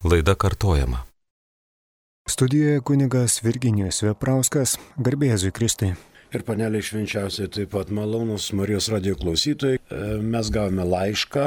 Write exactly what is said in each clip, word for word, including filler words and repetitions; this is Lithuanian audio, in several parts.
Laida kartojama. Studijoje kunigas Virginijus Veprauskas, garbė Jėzui Kristui. Ir paneliai švenčiausiai taip pat malonus Marijos radijo klausytojai. Mes gavome laišką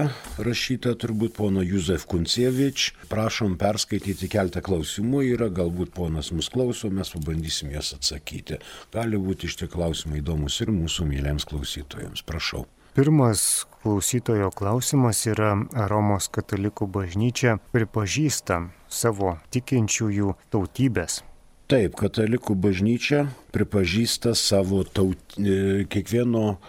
rašytą turbūt pono Józef Kuncievič. Prašom perskaityti keletą klausimų. Yra galbūt ponas mus klauso, mes pabandysim jas atsakyti. Gali būti iš tie klausimai įdomus ir mūsų myliems klausytojams. Prašau. Pirmas klausytojo klausimas yra, ar Romos katalikų bažnyčia pripažįsta savo tikinčiųjų tautybės. Taip, katalikų bažnyčia pripažįsta savo taut, kiekvieno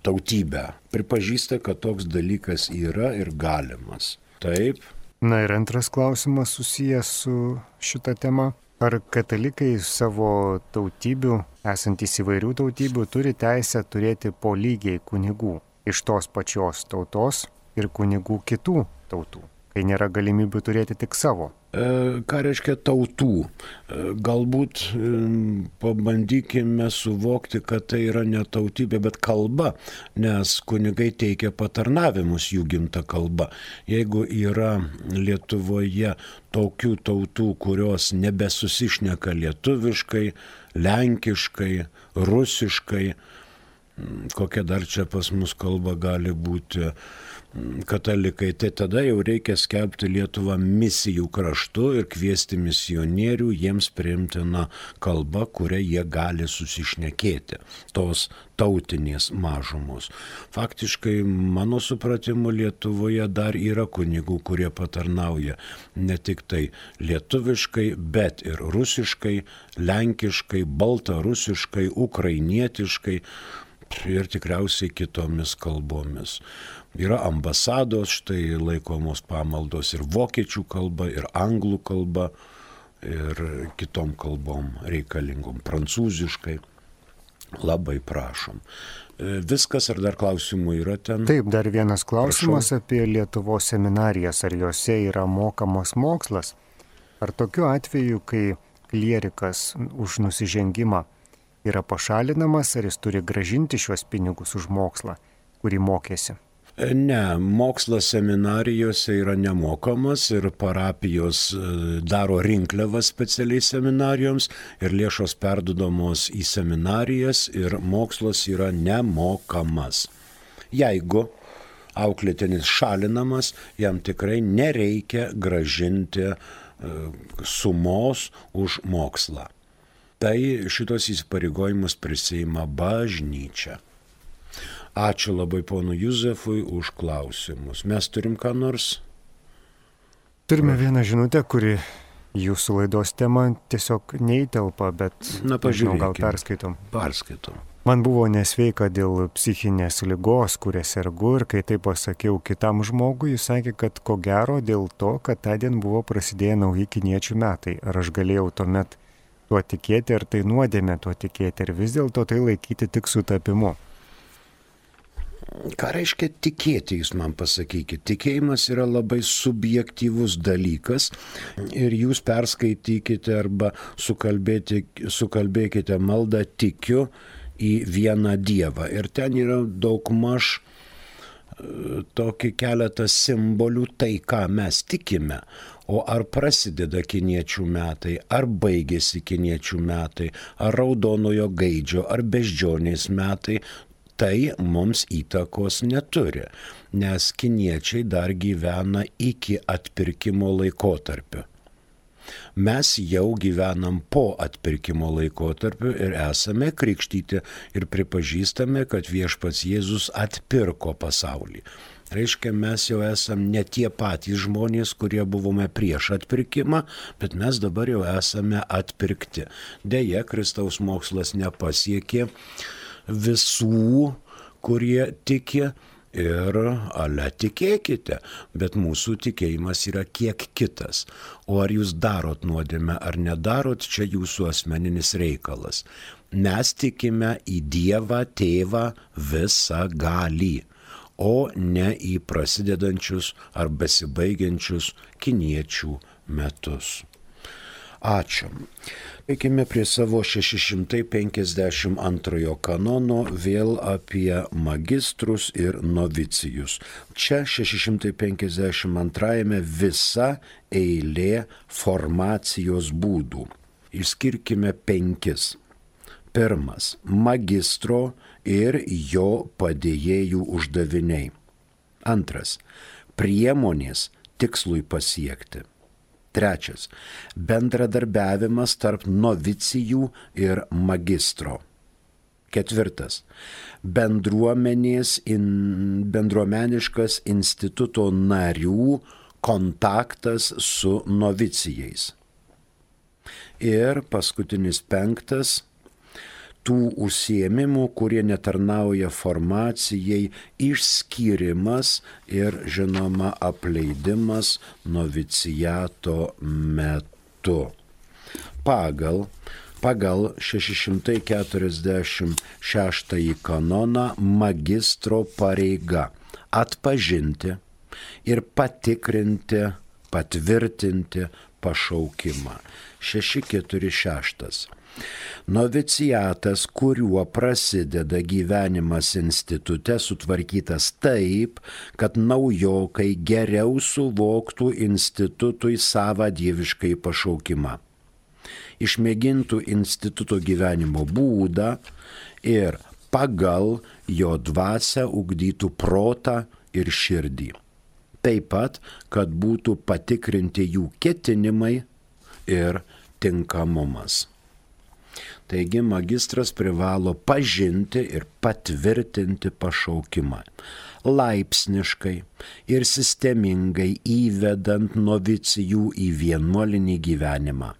tautybę. Pripažįsta, kad toks dalykas yra ir galimas. Taip. Na ir antras klausimas susijęs su šita tema. Ar katalikai savo tautybių, esantys įvairių tautybių, turi teisę turėti po lygiai kunigų iš tos pačios tautos ir kunigų kitų tautų, kai nėra galimybių turėti tik savo? E, ką reiškia tautų? E, galbūt e, pabandykime suvokti, kad tai yra ne tautybė, bet kalba, nes kunigai teikia patarnavimus jų gimta kalba. Jeigu yra Lietuvoje tokių tautų, kurios nebesusišneka lietuviškai, lenkiškai, rusiškai, kokia dar čia pas mus kalba gali būti katalikai, tai tada jau reikia skelbti Lietuvą misijų kraštu ir kviesti misionierių jiems priimtiną kalbą, kurią jie gali susišnekėti, tos tautinės mažumos. Faktiškai, mano supratimu, Lietuvoje dar yra kunigų, kurie patarnauja ne tik tai lietuviškai, bet ir rusiškai, lenkiškai, baltarusiškai, ukrainietiškai ir tikriausiai kitomis kalbomis. Yra ambasados, štai laikomos pamaldos ir vokiečių kalba, ir anglų kalba, ir kitom kalbom reikalingom, prancūziškai. Labai prašom. Viskas, ar dar klausimų yra ten? Taip, dar vienas klausimas. Prašau. Apie Lietuvos seminarijas. Ar jose yra mokamas mokslas? Ar tokiu atveju, kai klierikas už nusižengimą yra pašalinamas, ar jis turi gražinti šios pinigus už mokslą, kurį mokėsi? Ne, mokslas seminarijose yra nemokamas ir parapijos daro rinkliavas specialiai seminarijoms ir lėšos perduodamos į seminarijas ir mokslas yra nemokamas. Jeigu auklėtinis šalinamas, jam tikrai nereikia gražinti sumos už mokslą. Tai šitos įsipareigojimus prisiima bažnyčia. Ačiū labai ponu Józefui už klausimus. Mes turim ką nors? Turime vieną žinutę, kuri jūsų laidos tema tiesiog neįtelpa, bet Na, nežinau, gal perskaitom. Perskaitom. Man buvo nesveika dėl psichinės ligos, kuria sergu, ir kai tai pasakiau kitam žmogui, jis sakė, kad ko gero dėl to, kad tądien buvo prasidėję nauji kiniečių metai. Ar aš galėjau tuomet tuo tikėti, ar tai nuodėmė tuo tikėti, ir vis dėlto tai laikyti tik sutapimu? Ką reiškia tikėti, jūs man pasakykite? Tikėjimas yra labai subjektyvus dalykas ir jūs perskaitykite arba sukalbėkite maldą tikiu į vieną Dievą. Ir ten yra daugmaž tokį keletą simbolių, tai ką mes tikime. O ar prasideda kiniečių metai, ar baigėsi kiniečių metai, ar raudonojo gaidžio, ar beždžionės metai, tai mums įtakos neturi, nes kiniečiai dar gyvena iki atpirkimo laikotarpio. Mes jau gyvenam po atpirkimo laikotarpio ir esame krikštyti ir pripažįstame, kad viešpats Jėzus atpirko pasaulį. Reiškia, mes jau esam ne tie patys žmonės, kurie buvome prieš atpirkimą, bet mes dabar jau esame atpirkti. Deja, Kristaus mokslas nepasiekė visų, kurie tiki, ir ale tikėkite, bet mūsų tikėjimas yra kiek kitas. O ar jūs darot nuodėmę ar nedarot, čia jūsų asmeninis reikalas. Mes tikime į Dievą Tėvą visagalį, o ne į prasidedančius ar besibaigiančius kiniečių metus. Ačiū. Eikime prie savo šeši šimtai penkiasdešimt antrojo kanono, vėl apie magistrus ir novicijus. Čia šeši šimtai penkiasdešimt antrajame visa eilė formacijos būdų. Išskirkime penkis. Pirmas – magistro ir jo padėjėjų uždaviniai. Antras – priemonės tikslui pasiekti. Trečias – bendradarbiavimas tarp novicijų ir magistro. Ketvirtas – bendruomenės, in, bendruomeniškas instituto narių kontaktas su novicijais. Ir paskutinis penktas – tų užsiėmimų, kurie netarnauja formacijai, išskyrimas ir, žinoma, apleidimas noviciato metu. Pagal, pagal šeši šimtai keturiasdešimt šeštąjį kanoną magistro pareiga atpažinti ir patikrinti, patvirtinti pašaukimą. šeši keturi šeši. Noviciatas, kuriuo prasideda gyvenimas institute, sutvarkytas taip, kad naujokai geriau suvoktų institutui savą dieviškai pašaukimą. Išmėgintų instituto gyvenimo būdą ir pagal jo dvasią ugdytų protą ir širdį. Taip pat, kad būtų patikrinti jų ketinimai ir tinkamumas. Taigi magistras privalo pažinti ir patvirtinti pašaukimą, laipsniškai ir sistemingai įvedant novicijų į vienuolinį gyvenimą,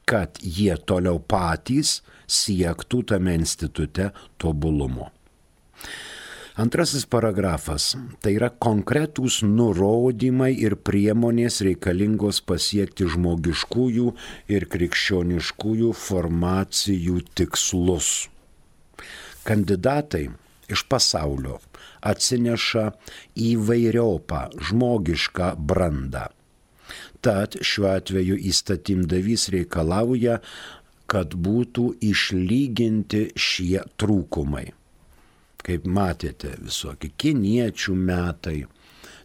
kad jie toliau patys siektų tame institute tobulumo. Antrasis paragrafas – tai yra konkretūs nurodymai ir priemonės reikalingos pasiekti žmogiškųjų ir krikščioniškųjų formacijų tikslus. Kandidatai iš pasaulio atsineša įvairiopą žmogišką brandą. Tad šiuo atveju įstatymdavys reikalauja, kad būtų išlyginti šie trūkumai. Kaip matėte, visokie kiniečių metai,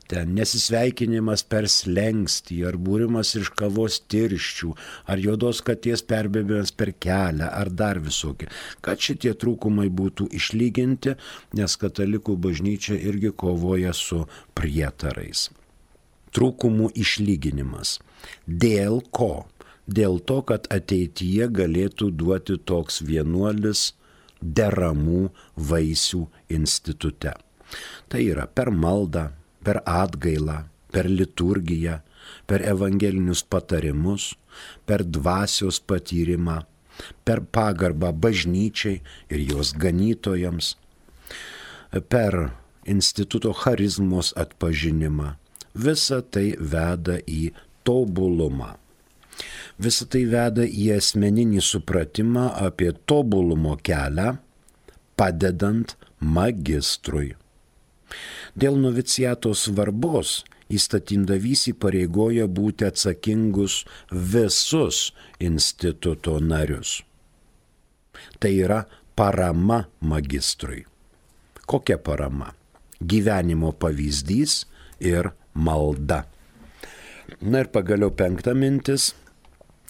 ten nesisveikinimas per slengstį, ar būrimas iš kavos tirščių, ar juodos katės perbėgimas per kelią, ar dar visokie. Kad šitie trūkumai būtų išlyginti, nes katalikų bažnyčia irgi kovoja su prietarais. Trūkumų išlyginimas. Dėl ko? Dėl to, kad ateityje galėtų duoti toks vienuolis deramų vaisių institute. Tai yra per maldą, per atgailą, per liturgiją, per evangelinius patarimus, per dvasios patyrimą, per pagarbą bažnyčiai ir jos ganytojams, per instituto charizmos atpažinimą. Visa tai veda į tobulumą. Visą tai veda į asmeninį supratimą apie tobulumo kelią, padedant magistrui. Dėl noviciato svarbos įstatymdavys įpareigoja būti atsakingus visus instituto narius. Tai yra parama magistrui. Kokia parama? Gyvenimo pavyzdys ir malda. Na ir pagaliau penkta mintis.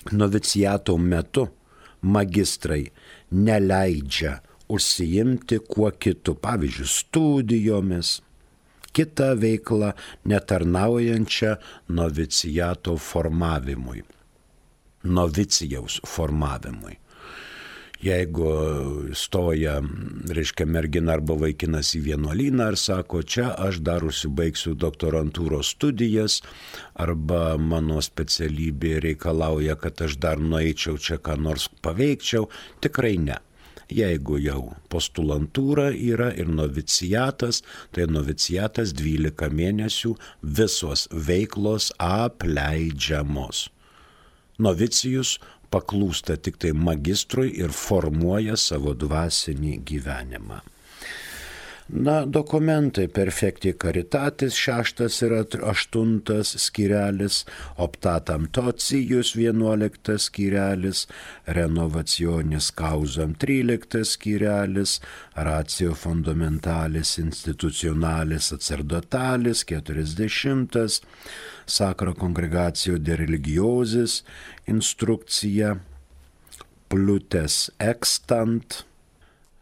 Noviciato metu magistrai neleidžia užsiimti kuo kitu, pavyzdžiui, studijomis, kitą veiklą netarnaujančią noviciato formavimui, novicijaus formavimui. Jeigu stoja, reiškia, mergina arba vaikinas į vienuolyną ir sako, čia aš dar užsibaigsiu doktorantūros studijas, arba mano specialybė reikalauja, kad aš dar nueičiau čia ką nors paveikčiau, tikrai ne. Jeigu jau postulantūra yra ir noviciatas, tai noviciatas dvylika mėnesių visos veiklos apleidžiamos. Novicijus paklūsta tik tai magistrui ir formuoja savo dvasinį gyvenimą. Na, dokumentai perfekti caritatis, šeštas ir aštuntas skyrelis, optatam tocijus, vienuoliktas skyrelis, renovacionis causam, tryliktas skyrelis, ratio fundamentalis institucionalis sacerdotalis, keturiasdešimtas, sacra congregatio de religiosis, instrukcija, plutes extant,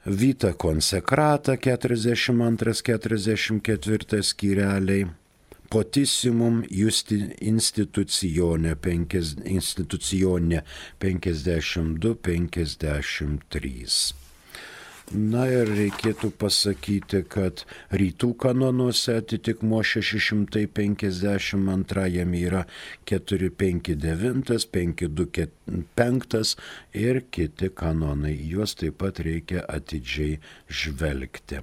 vita consecrata keturiasdešimt antras keturiasdešimt ketvirtas skyreliai, potissimum justi institucione, penkias, institucione penkiasdešimt du penkiasdešimt trys. Na ir reikėtų pasakyti, kad rytų kanonuose atitikmuo šeši šimtai penkiasdešimt antrajam yra keturi penki devyni, penki du penki ir kiti kanonai. Juos taip pat reikia atidžiai žvelgti.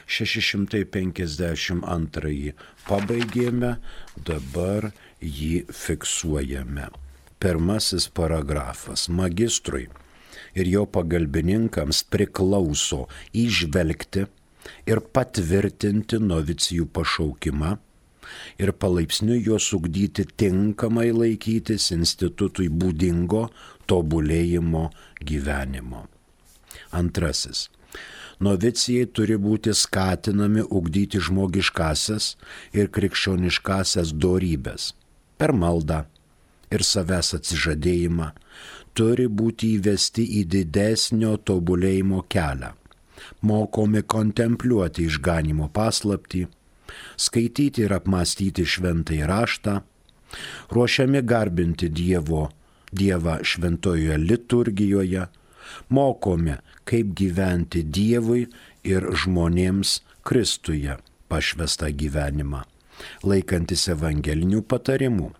šeši šimtai penkiasdešimt antrąjį pabaigėme, dabar jį fiksuojame. Pirmasis paragrafas. Magistrui ir jo pagalbininkams priklauso įžvelgti ir patvirtinti novicijų pašaukimą ir palaipsniui juos ugdyti tinkamai laikytis institutui būdingo tobulėjimo gyvenimo. Antrasis. Novicijai turi būti skatinami ugdyti žmogiškasias ir krikščioniškasias dorybes per maldą ir savęs atsižadėjimą, turi būti įvesti į didesnio tobulėjimo kelią, mokomi kontempliuoti išganimo paslaptį, skaityti ir apmąstyti šventąjį raštą, ruošiami garbinti Dievo, Dievą šventojoje liturgijoje, mokomi, kaip gyventi Dievui ir žmonėms Kristuje pašvestą gyvenimą, laikantis evangelinių patarimų.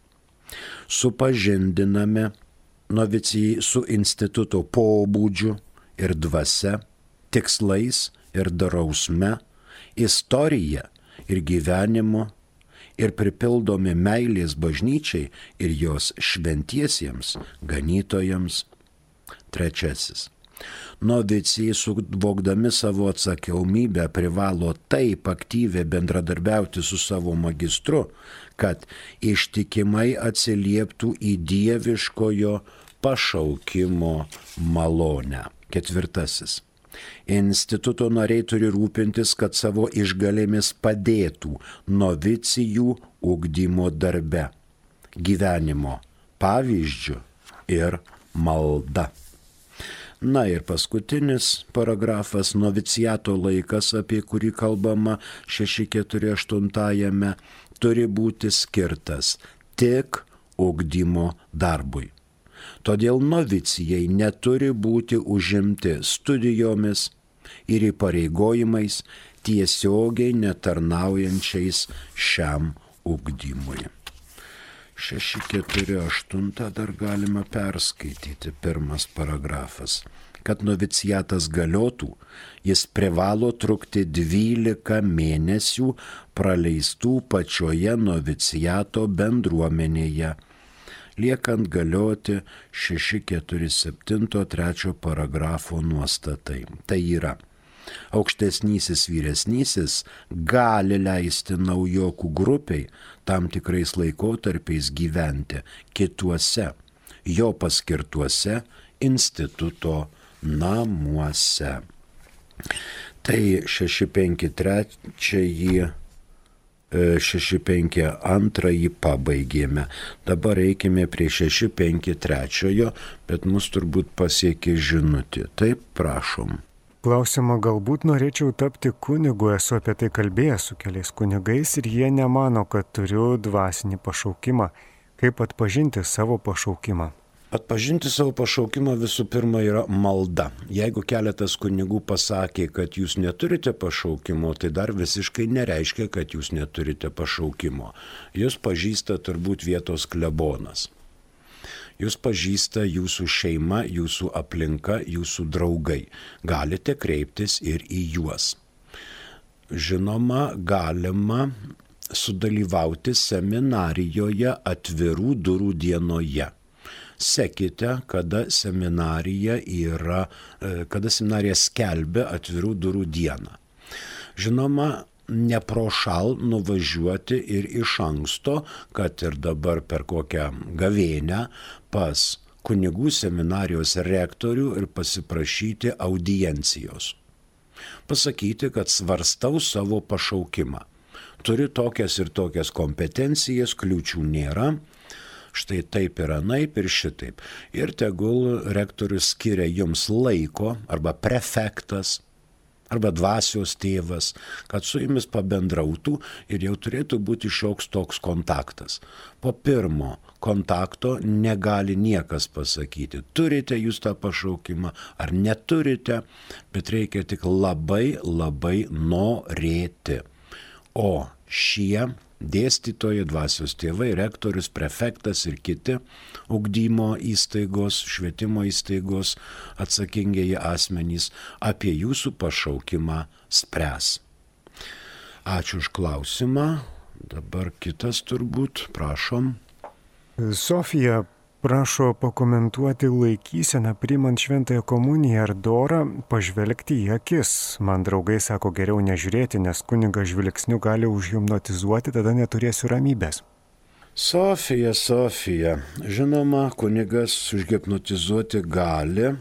Supažindiname novicijai su instituto pobūdžiu ir dvasia, tikslais ir drausme, istorija ir gyvenimu ir pripildomi meilės bažnyčiai ir jos šventiesiems ganytojams. Trečiasis. Novicijai suvokdami savo atsakomybę privalo taip aktyviai bendradarbiauti su savo magistru, kad ištikimai atsilieptų į dieviškojo pašaukimo malonę. Ketvirtasis. Instituto nariai turi rūpintis, kad savo išgalėmis padėtų novicijų ugdymo darbe, gyvenimo pavyzdžiu ir malda. Na ir paskutinis paragrafas, noviciato laikas, apie kurį kalbama šeši keturi aštuntajame, turi būti skirtas tik ugdymo darbui. Todėl novicijai neturi būti užimti studijomis ir įpareigojimais tiesiogiai netarnaujančiais šiam ugdymui. šeši keturi aštuoni dar galima perskaityti, pirmas paragrafas. Kad noviciatas galiotų, jis privalo trukti dvylika mėnesių praleistų pačioje noviciato bendruomenėje, liekant galioti šeši keturi septyni trečio paragrafo nuostatai. Tai yra, aukštesnysis vyresnysis gali leisti naujokų grupiai tam tikrais laikotarpiais gyventi kituose, jo paskirtuose instituto namuose. Tai šeši penki trečiąjį, šeši penki antrąjį pabaigėme. Dabar eikime prie šeši penki trečiojo, bet mus turbūt pasiekė žinutė. Taip, prašom. Klausimą, galbūt norėčiau tapti kunigu, esu apie tai kalbėjęs su keliais kunigais ir jie nemano, kad turiu dvasinį pašaukimą. Kaip atpažinti savo pašaukimą? Atpažinti savo pašaukimą visų pirma yra malda. Jeigu keletas kunigų pasakė, kad jūs neturite pašaukimo, tai dar visiškai nereiškia, kad jūs neturite pašaukimo. Jūs pažįsta turbūt vietos klebonas. Jūs pažįsta jūsų šeima, jūsų aplinka, jūsų draugai. Galite kreiptis ir į juos. Žinoma, galima sudalyvauti seminarijoje atvirų durų dienoje. Sekite, kada seminarija yra, kada seminarija skelbia atvirų durų dieną. Žinoma, neprošal nuvažiuoti ir iš anksto, kad ir dabar per kokią gavėnią pas kunigų seminarijos rektorių ir pasiprašyti audiencijos. Pasakyti, kad svarstau savo pašaukimą. Turi tokias ir tokias kompetencijas, kliūčių nėra. Štai taip ir anaip ir šitaip. Ir tegul rektorius skiria jums laiko, arba prefektas, arba dvasios tėvas, kad su jumis pabendrautų ir jau turėtų būti šioks toks kontaktas. Po pirmo kontakto negali niekas pasakyti, turite jūs tą pašaukimą ar neturite, bet reikia tik labai labai norėti. O šie dėstytojai, dvasios tėvai, rektorius, prefektas ir kiti ugdymo įstaigos, švietimo įstaigos atsakingieji asmenys apie jūsų pašaukimą spręs. Ačiū už klausimą. Dabar kitas turbūt, prašom. Sofija prašo pakomentuoti laikyseną priimant šventąją komuniją ar dorą, pažvelgti į akis. Man draugai sako geriau nežiūrėti, nes kunigas žvilgsniu gali užhipnotizuoti, tada neturėsiu ramybės. Sofija, Sofija, žinoma, kunigas užhipnotizuoti gali,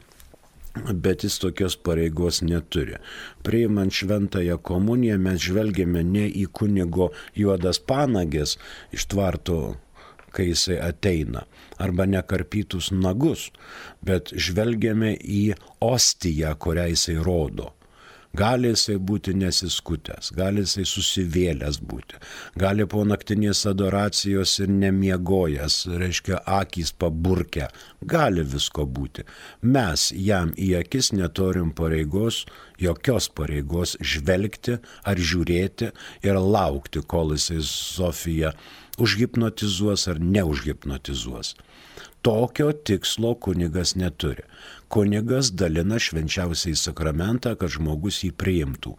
bet jis tokios pareigos neturi. Priimant šventąją komuniją mes žvelgiame ne į kunigo juodas panagės iš tvarto, kai jisai ateina, arba nekarpytus nagus, bet žvelgiame į ostiją, kurią jisai rodo. Gali jisai būti nesiskutęs, gali jisai susivėlęs būti, gali po naktinės adoracijos ir nemiegojęs, reiškia akys paburkę, gali visko būti. Mes jam į akis neturim pareigos, jokios pareigos žvelgti ar žiūrėti ir laukti, kol jisai Sofiją užhipnotizuos ar neužhipnotizuos. Tokio tikslo kunigas neturi. Kunigas dalina švenčiausiąjį sakramentą, kad žmogus jį priimtų.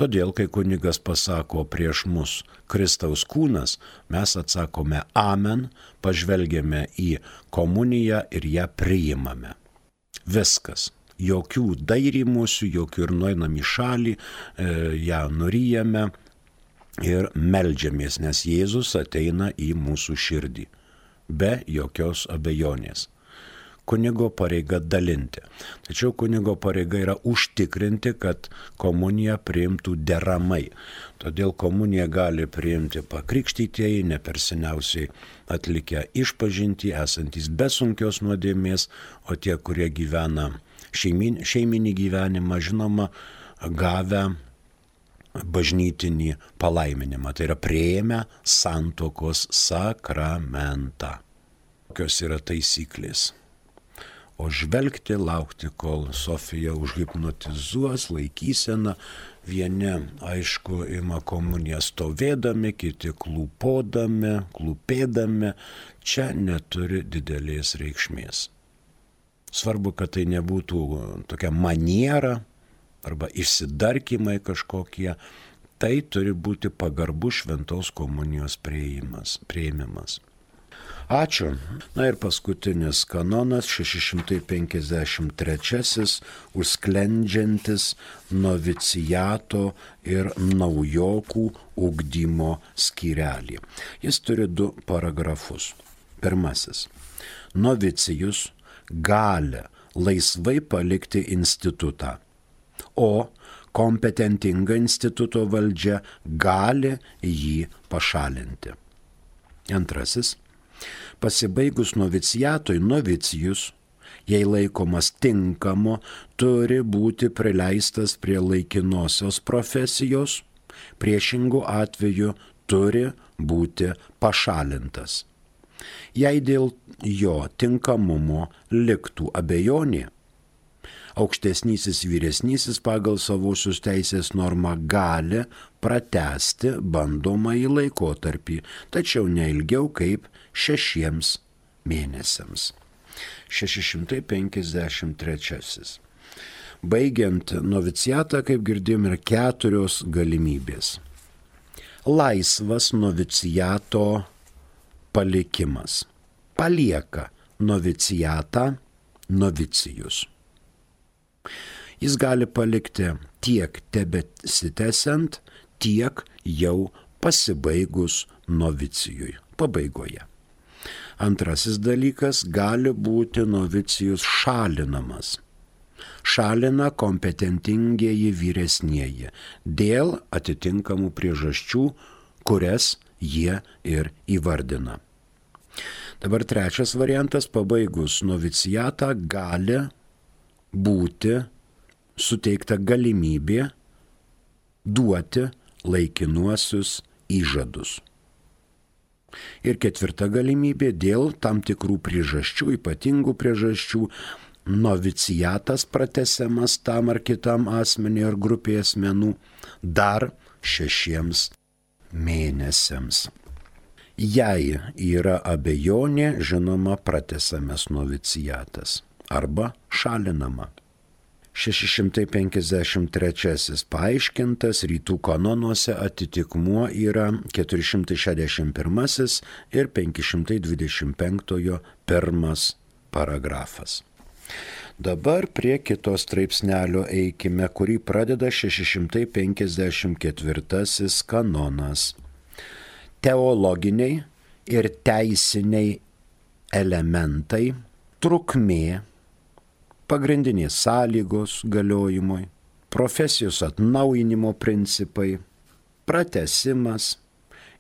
Todėl, kai kunigas pasako prieš mus Kristaus kūnas, mes atsakome amen, pažvelgiame į komuniją ir ją priimame. Viskas. Jokių dairymusių, jokių ir nueinam į šalį, e, ją nuryjame ir meldžiamės, nes Jėzus ateina į mūsų širdį. Be jokios abejonės. Kunigo pareiga dalinti. Tačiau kunigo pareiga yra užtikrinti, kad komuniją priimtų deramai. Todėl komuniją gali priimti pakrikštytieji, neperseniausiai atlikę išpažintį, esantys be sunkios nuodėmės, o tie, kurie gyvena šeimin, šeiminį gyvenimą, žinoma, gavę bažnytinį palaiminimą. Tai yra priėmę santuokos sakramentą. Kokios yra taisyklės? O žvelgti, laukti, kol Sofija užhipnotizuos, laikysena. Vieni, aišku, ima komuniją stovėdami, kiti klūpodami, klūpėdami. Čia neturi didelės reikšmės. Svarbu, kad tai nebūtų tokia maniera arba išsidarkymai kažkokie. Tai turi būti pagarbus šventos komunijos priėmimas. Ačiū. Na ir paskutinis kanonas, šeši šimtai penkiasdešimt trečiasis, užsklendžiantis noviciato ir naujokų ugdymo skyrelį. Jis turi du paragrafus. Pirmasis. Novicijus gali laisvai palikti institutą, o kompetentinga instituto valdžia gali jį pašalinti. Antrasis. Pasibaigus noviciatui, novicijus, jei laikomas tinkamu, turi būti prileistas prie laikinosios profesijos, priešingų atveju turi būti pašalintas. Jei dėl jo tinkamumo liktų abejonė, aukštesnysis vyresnysis pagal savosios teisės normą gali pratęsti bandomąjį laikotarpį, tačiau ne ilgiau kaip šešiems mėnesiams. šeši šimtai penkiasdešimt trečiasis. Baigiant noviciatą, kaip girdėjom, yra keturios galimybės. Laisvas noviciato palikimas. Palieka noviciatą novicijus. Jis gali palikti tiek tebesitęsiant, tiek jau pasibaigus novicijui, pabaigoje. Antrasis dalykas, gali būti novicijus šalinamas. Šalina kompetentingieji vyresnieji dėl atitinkamų priežasčių, kurias jie ir įvardina. Dabar trečias variantas, pabaigus novicijatą gali būti suteikta galimybė duoti laikinuosius įžadus. Ir ketvirta galimybė, dėl tam tikrų priežasčių, ypatingų priežasčių, novicijatas pratęsiamas tam ar kitam asmeniui ar grupėje asmenų dar šešiems mėnesiams. Jei yra abejonė, žinoma, pratęsiamas novicijatas arba šalinama. šeši šimtai penkiasdešimt trečiasis paaiškintas rytų kanonuose atitikmuo yra keturi šimtai šešiasdešimt pirmasis ir penki šimtai dvidešimt penktojo pirmas paragrafas. Dabar prie kito straipsnelio eikime, kurį pradeda šeši šimtai penkiasdešimt ketvirtasis kanonas. Teologiniai ir teisiniai elementai, trukmė, pagrindinės sąlygos galiojimui, profesijos atnaujinimo principai, pratęsimas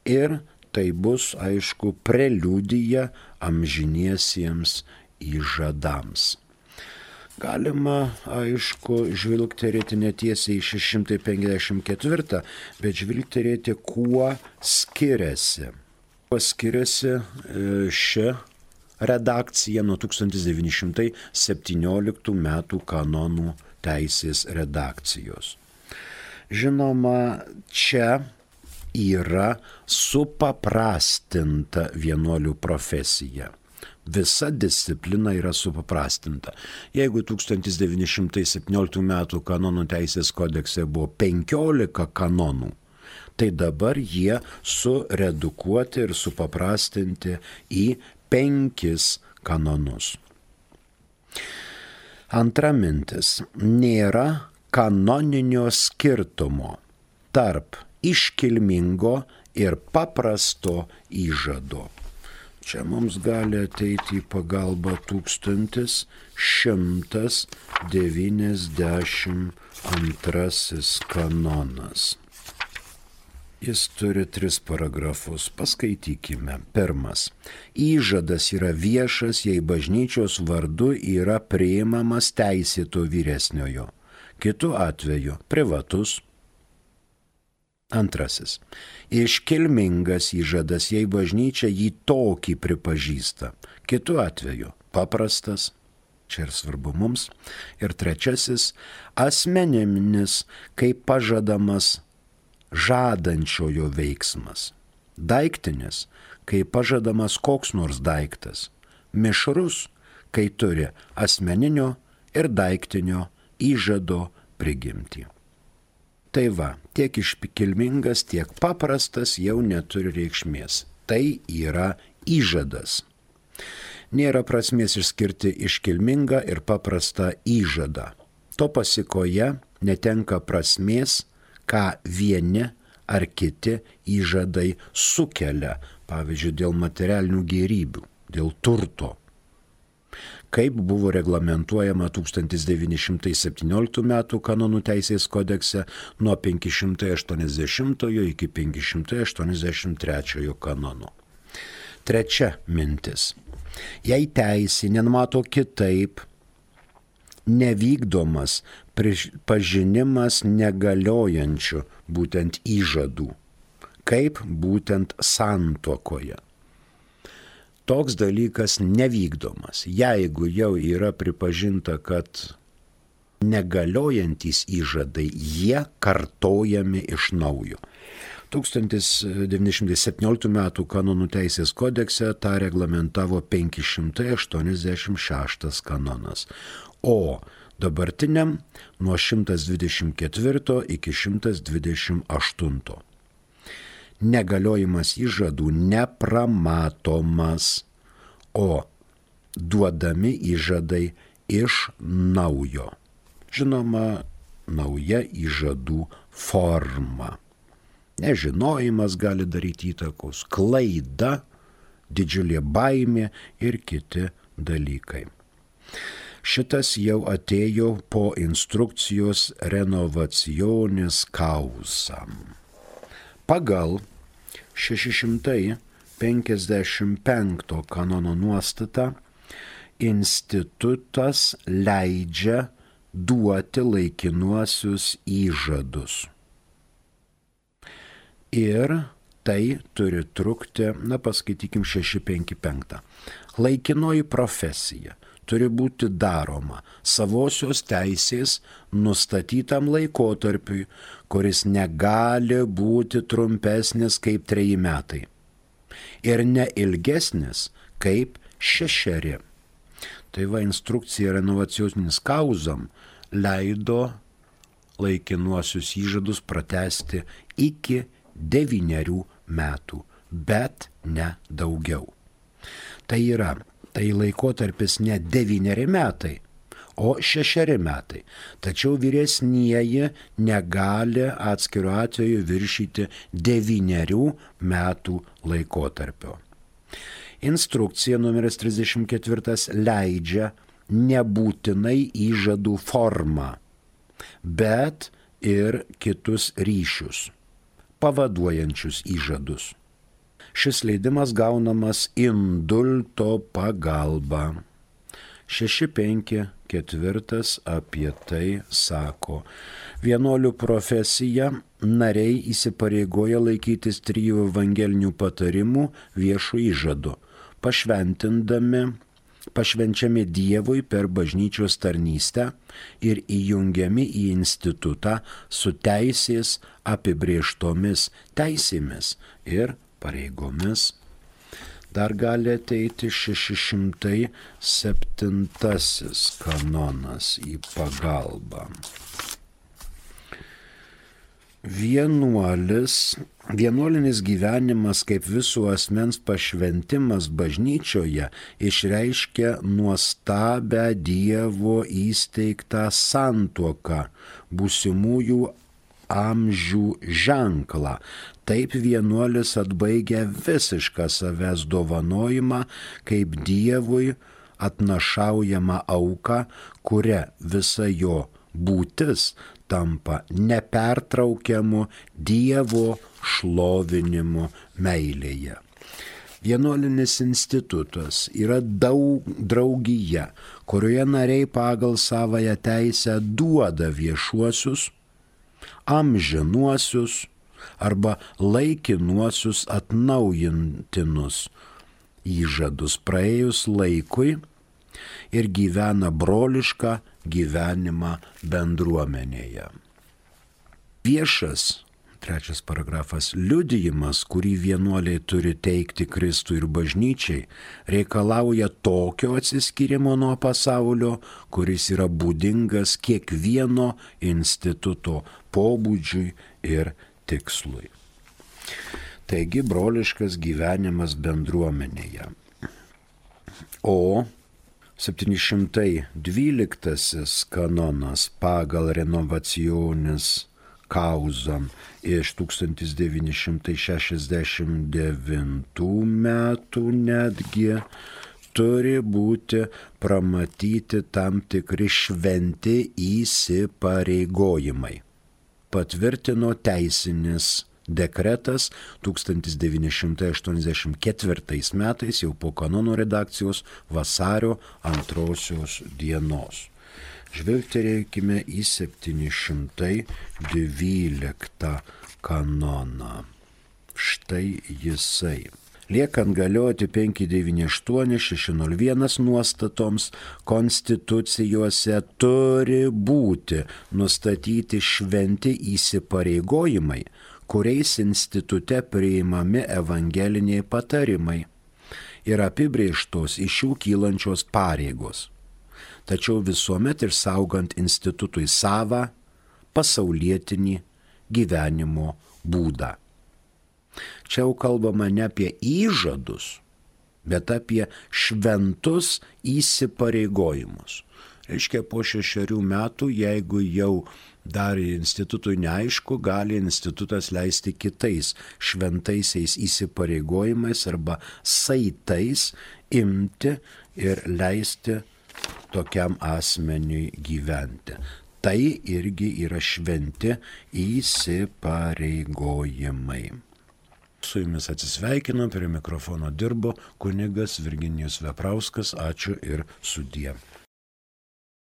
ir tai bus, aišku, preliudija amžiniesiems įžadams. Galima, aišku, žvilgterėti netiesiai į šeši šimtai penkiasdešimt ketvirtą, bet žvilgterėti, kuo skiriasi. Kuo skiriasi ši redakcija nuo tūkstantis devyni šimtai septynioliktų metų kanonų teisės redakcijos. Žinoma, čia yra supaprastinta vienuolių profesija. Visa disciplina yra supaprastinta. Jeigu tūkstantis devyni šimtai septynioliktų metų kanonų teisės kodekse buvo penkiolika kanonų, tai dabar jie suredukuoti ir supaprastinti į penkis kanonus. Antra mintis. Nėra kanoninio skirtumo tarp iškilmingo ir paprasto įžado. Čia mums gali ateiti į pagalbą tūkstantis šimtas devyniasdešimt antrasis kanonas. Jis turi tris paragrafus, paskaitykime. Pirmas. Įžadas yra viešas, jei bažnyčios vardu yra priimamas teisėto vyresniojo. Kitu atveju privatus. Antrasis. Iškilmingas įžadas, jei bažnyčia jį tokį pripažįsta. Kitu atveju paprastas. Čia ir svarbu mums. Ir trečiasis. Asmeniminis, kaip pažadamas žadančiojo veiksmas. Daiktinis, kai pažadamas koks nors daiktas. Mišrus, kai turi asmeninio ir daiktinio įžado prigimtį. Tai va, tiek iškilmingas, tiek paprastas jau neturi reikšmės. Tai yra įžadas. Nėra prasmės išskirti iškilmingą ir paprastą įžadą. To pasikoje netenka prasmės, ką vieni ar kiti įžadai sukelia, pavyzdžiui, dėl materialinių gėrybių, dėl turto. Kaip buvo reglamentuojama tūkstantis devyni šimtai septynioliktų metų kanonų teisės kodekse nuo penki šimtai aštuoniasdešimtojo iki penki šimtai aštuoniasdešimt trečiojo kanono. Trečia mintis. Jei teisė nenumato kitaip, nevykdomas pažinimas negaliojančių būtent įžadų, kaip būtent santuokoje. Toks dalykas nevykdomas. Jeigu jau yra pripažinta, kad negaliojantys įžadai, jie kartojami iš naujo. tūkstantis devyni šimtai septynioliktų metų kanonų teisės kodekse tą reglamentavo penki šimtai aštuoniasdešimt šeštas kanonas, o dabartiniam nuo šimtas dvidešimt ketvirto iki šimtas dvidešimt aštunto. Negaliojimas įžadų nepramatomas, o duodami įžadai iš naujo. Žinoma, nauja įžadų forma. Nežinojimas gali daryti įtakos, klaida, didžiulė baimė ir kiti dalykai. Šitas jau atėjo po instrukcijos renovacionis causam. Pagal šeši šimtai penkiasdešimt penkto kanono nuostatą institutas leidžia duoti laikinuosius įžadus. Ir tai turi trukti, na paskaitykim šeši penki penki. Laikinoji profesija turi būti daroma savosios teisės nustatytam laikotarpiui, kuris negali būti trumpesnis kaip treji metai ir ne ilgesnis kaip šešeri. Tai va instrukcija renovacioninis causam leido laikinuosius įžadus pratęsti iki devynerių metų, bet ne daugiau. Tai yra, tai laikotarpis ne devyneri metai, o šešeri metai. Tačiau vyresnieji negali atskiru atveju viršyti devynerių metų laikotarpio. Instrukcija numeris trisdešimt keturi leidžia nebūtinai įžadų formą, bet ir kitus ryšius, pavaduojančius įžadus. Šis leidimas gaunamas indulto pagalba. šeši penki keturi apie tai sako. Vienuolių profesija nariai įsipareigoja laikytis trijų evangelinių patarimų viešų įžadų, pašventindami, pašvenčiami Dievui per bažnyčios tarnystę ir įjungiami į institutą su teisės apibrėžtomis teisėmis ir pareigomis. Dar gali ateiti šeši šimtai septintasis kanonas į pagalbą. Vienuolis, vienuolinis gyvenimas kaip visų asmens pašventimas bažnyčioje išreiškia nuostabę Dievo įsteigtą santuoką, būsimųjų amžių ženklą. Taip vienuolis atbaigia visišką savęs dovanojimą kaip Dievui atnašaujama auka, kuria visa jo būtis tampa nepertraukiamu Dievo šlovinimu meilėje. Vienuolinis institutas yra daug draugija, kurioje nariai pagal savąją teisę duoda viešuosius, amžinuosius arba laikinuosius atnaujintinus įžadus praėjus laikui ir gyvena brolišką gyvenimą bendruomenėje. Viešas, trečias paragrafas, liudijimas, kurį vienuoliai turi teikti Kristui ir bažnyčiai, reikalauja tokio atsiskyrimo nuo pasaulio, kuris yra būdingas kiekvieno instituto pobūdžiui ir tikslui. Taigi broliškas gyvenimas bendruomenėje. O septyni šimtai dvyliktasis kanonas pagal renovacionis causam iš tūkstantis devyni šimtai šešiasdešimt devintų metų netgi turi būti pramatyti tam tikri šventi įsipareigojimai. Patvirtino teisinis dekretas tūkstantis devyni šimtai aštuoniasdešimt ketvirtais metais jau po kanono redakcijos vasario antrosios dienos. Žvilgterėkime į septyni šimtai dvyliktą kanoną. Štai jisai. Liekant galioti penki devyni aštuoni šeši nulis vienas nuostatoms, konstitucijose turi būti nustatyti šventi įsipareigojimai, kuriais institute priimami evangeliniai patarimai ir apibrėžtos iš jų kylančios pareigos. Tačiau visuomet ir saugant institutui savą pasaulietinį gyvenimo būdą. Čia jau kalbama ne apie įžadus, bet apie šventus įsipareigojimus. Reiškia, po šešerių metų, jeigu jau dar institutui neaišku, gali institutas leisti kitais šventaisiais įsipareigojimais arba saitais imti ir leisti tokiam asmeniui gyventi. Tai irgi yra šventi įsipareigojimai. Su jumis atsisveikinu, prie mikrofono dirbo kunigas Virginijus Veprauskas. Ačiū ir sudie.